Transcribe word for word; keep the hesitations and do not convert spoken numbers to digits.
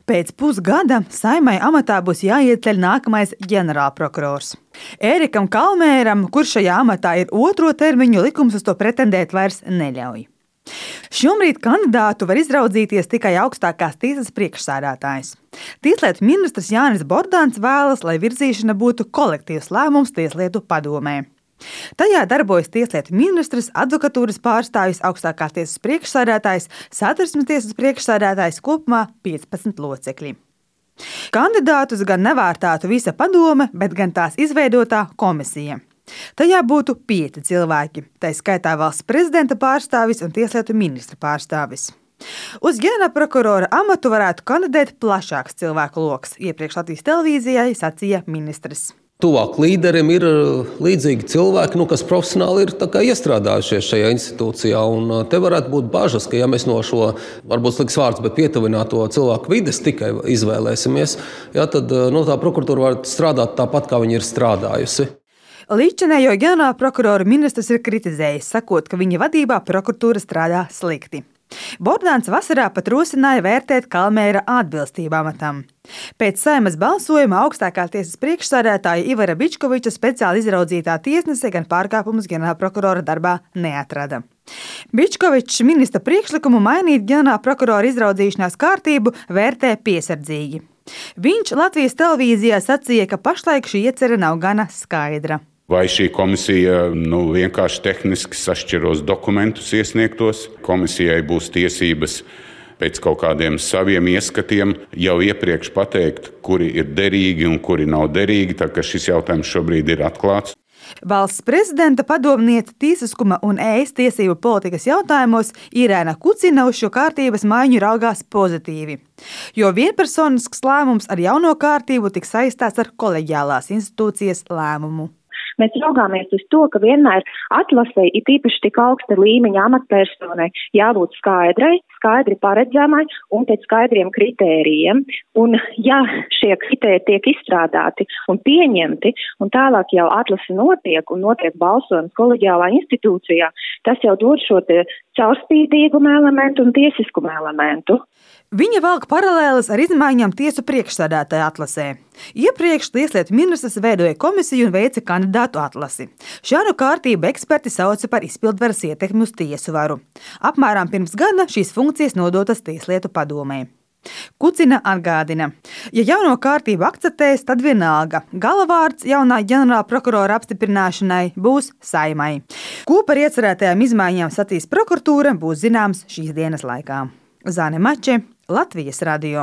Pēc pusgada Saeimai amatā būs jāieceļ nākamais ģenerālprokurors. Ērikam Kalmēram, kurš šajā amatā ir otro termiņu, likums uz to pretendēt vairs neļauj. Šobrīd kandidātu var izraudzīties tikai augstākās tiesas priekšsēdētājs. Tieslietu ministrs Jānis Bordāns vēlas, lai virzīšana būtu kolektīvs lēmums Tieslietu padomē. Tajā darbojas tieslietu ministrs, advokatūras pārstāvjs, augstākās tiesas priekšsēdētājs, Satversmes tiesas priekšsēdētājs, kopumā piecpadsmit locekļi. Kandidātus gan nevērtētu visa padome, bet gan tās izveidotā komisija. Tajā būtu pieci cilvēki, tā skaitā valsts prezidenta pārstāvis un tieslietu ministra pārstāvis. Uz ģenerālprokurora amatu varētu kandidēt plašāks cilvēku loks, iepriekš Latvijas televīzijai sacīja ministrs. Tuvāk līderim ir līdzīgi cilvēki, nu, kas profesionāli ir iestrādājušies šajā institūcijā. Un te varētu būt bažas, ka ja mēs no šo, varbūt slikts vārds, bet pietuvināto cilvēku vides tikai izvēlēsimies, ja, tad nu, tā prokuratūra var strādāt tāpat, kā viņa ir strādājusi. Līdzinējo ģenerālprokuroru ministrs ir kritizējis, sakot, ka viņa vadībā prokuratūra strādā slikti. Bordāns vasarā pat rosināja vērtēt Kalmēra atbilstību amatam. Pēc Saeimas balsojuma augstākā tiesas priekšsēdētāja Ivara Bičkoviča speciāli izraudzītā tiesnese gan pārkāpumus ģenerālprokurora darbā neatrada. Bičkovičs ministra priekšlikumu mainīt ģenerālprokurora izraudzīšanās kārtību vērtē piesardzīgi. Viņš Latvijas televīzijā sacīja, ka pašlaik šī iecerē nav gana skaidra. Vai šī komisija nu, vienkārši tehniski sašķiros dokumentus iesniegtos? Komisijai būs tiesības pēc kaut kādiem saviem ieskatiem jau iepriekš pateikt, kuri ir derīgi un kuri nav derīgi, tā ka šis jautājums šobrīd ir atklāts. Valsts prezidenta padomniece tiesiskuma un ēst tiesību politikas jautājumos Irēna Kucina uz šo kārtības maiņu raugās pozitīvi, jo vienpersonisks lēmums ar jauno kārtību tiks saistīts ar koleģiālās institūcijas lēmumu. Mēs raugāmies uz to, ka vienmēr atlasē, it īpaši tik augsta līmeņa amatpersonai, jābūt skaidrai, skaidri paredzamai un pēc skaidriem kritērijiem. Un ja šie kritēriji tiek izstrādāti un pieņemti, un tālāk jau atlase notiek un notiek balsojums koleģiālā institūcijā, tas jau dod šo caurspīdīgumu elementu un tiesiskumu elementu. Viņa velk paralēles ar izmaiņām tiesu priekšsēdētāja atlasē. Iepriekš tieslietu ministrs veidoja komisiju un veica kandidātu atlasi. Šādu kārtību eksperti sauca par izpildvaras ietekmi uz tiesu varu. Apmēram pirms gada šīs funkcijas nodotas Tieslietu padomē. Kucina atgādina, ja jauno kārtību akceptēs, tad vienalga galavārds jaunā ģenerālprokurora apstiprināšanai būs Saeimai. Ko par iecerētajām izmaiņām sacīs prokuratūra, būs zināms šīs dienas laikā. Zane Mače, Latvijas radio.